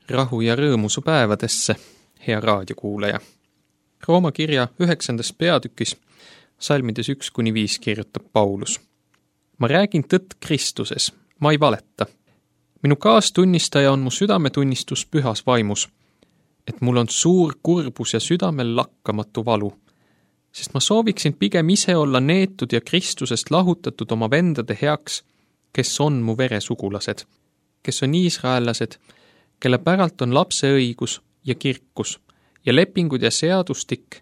Rahu ja rõõmu su päevadesse, hea raadiokuulaja. Rooma kirja 9. peatükis, salmides 1-5 kirjutab Paulus. Ma räägin tõtt Kristuses, ma ei valeta. Minu kaastunnistaja on mu südametunnistus pühas vaimus, et mul on suur kurbus ja südamel lakkamatu valu, sest ma sooviksin pigem ise olla neetud ja Kristusest lahutatud oma vendade heaks, kes on mu veresugulased, kes on iisraellased, kelle päralt on lapseõigus ja kirkus ja lepingud ja seadustik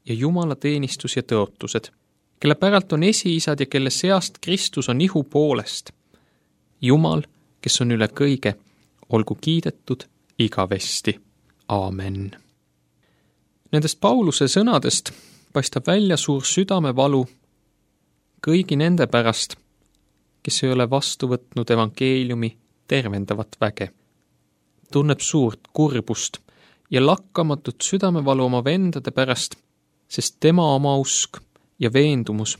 ja Jumala teenistus ja tõotused, kelle päralt on esiisad ja kelle seast Kristus on ihu poolest. Jumal, kes on üle kõige, olgu kiidetud igavesti. Aamen. Nendest Pauluse sõnadest paistab välja suur südamevalu kõigi nende pärast, kes ei ole vastu võtnud evangeeliumi tervendavat väge. Tunneb suurt kurbust ja lakkamatut südamevalu oma vendade pärast, sest tema oma usk ja veendumus,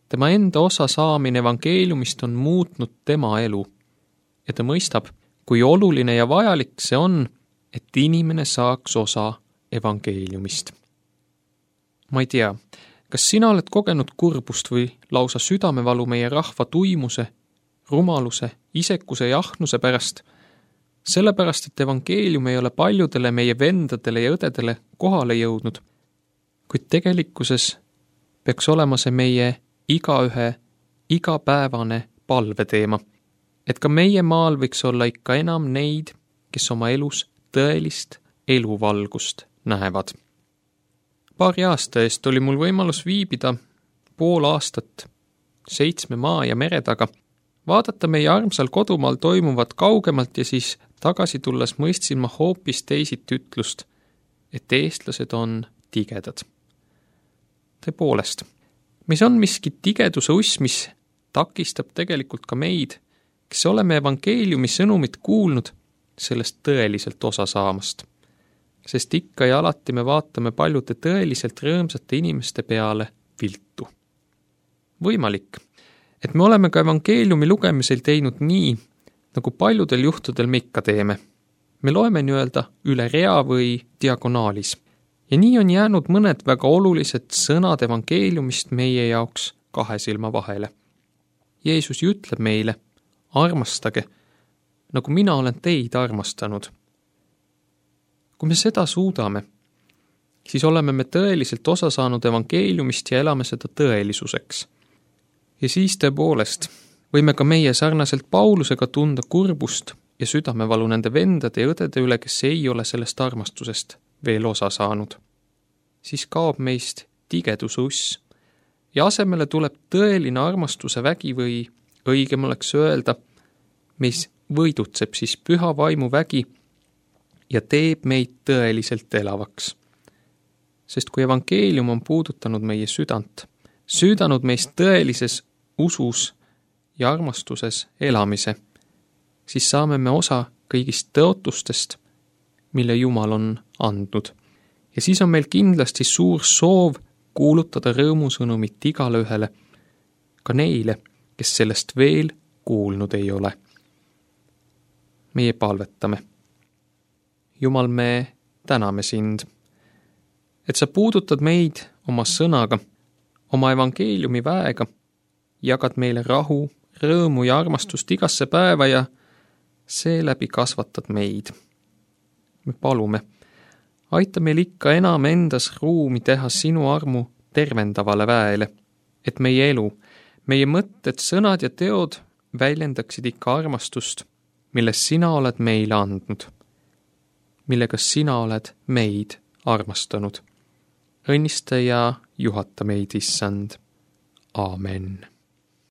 tema enda osa saamine evangeeliumist on muutnud tema elu. Ja ta mõistab, kui oluline ja vajalik see on, et inimene saaks osa evangeeliumist. Ma ei tea, kas sina oled kogenud kurbust või lausa südamevalu meie rahva tuimuse, rumaluse, isekuse ja ahnuse pärast, sellepärast, et evangeelium ei ole paljudele meie vendadele ja õdedele kohale jõudnud, kuid tegelikkuses peaks olema see meie igaühe igapäevane palveteema, et ka meie maal võiks olla ikka enam neid, kes oma elus tõelist eluvalgust näevad. Paari aasta eest oli mul võimalus viibida pool aastat 7 maa ja mere taga, vaadata meie armsal kodumaal toimuvat kaugemalt ja siis tagasi tulles mõistsin ma hoopis teisit ütlust, et eestlased on tigedad. Tõepoolest, mis on miski tigeduse uss, mis takistab tegelikult ka meid, kes oleme evangeeliumi sõnumit kuulnud, sellest tõeliselt osa saamast. Sest ikka ja alati me vaatame paljude tõeliselt rõõmsate inimeste peale viltu. Võimalik, et me oleme ka evangeeliumi lugemisel teinud nii, nagu paljudel juhtudel me ikka teeme. Me loeme nii-öelda üle rea või diagonaalis. Ja nii on jäänud mõned väga olulised sõnad evangeeliumist meie jaoks 2 silma vahele. Jeesus ütleb meile, armastage, nagu mina olen teid armastanud. Kui me seda suudame, siis oleme me tõeliselt osa saanud evangeeliumist ja elame seda tõelisuseks. Ja siis tõepoolest võime ka meie sarnaselt Paulusega tunda kurbust ja südamevalu nende vendade ja õdede üle, kes ei ole sellest armastusest veel osa saanud. Siis kaob meist tigeduse uss ja asemele tuleb tõeline armastuse vägi või õigem oleks öelda, mis võidutseb siis püha vaimu vägi ja teeb meid tõeliselt elavaks. Sest kui evangeelium on puudutanud meie südant, süüdanud meist tõelises usus ja armastuses elamise, siis saame me osa kõigist tõotustest, mille Jumal on andnud. Ja siis on meil kindlasti suur soov kuulutada rõõmusõnumit igale ühele, ka neile, kes sellest veel kuulnud ei ole. Meie palvetame. Jumal, me täname sind, et sa puudutad meid oma sõnaga, oma evangeeliumi väega, jagad meile rahu, rõõmu ja armastust igasse päeva ja seeläbi kasvatad meid. Me palume, aita meil ikka enam endas ruumi teha sinu armu tervendavale väele, et meie elu, meie mõtted, sõnad ja teod väljendaksid ikka armastust, milles sina oled meile andnud, millega sina oled meid armastanud. Õnnista ja juhata meid, Issand. Aamen.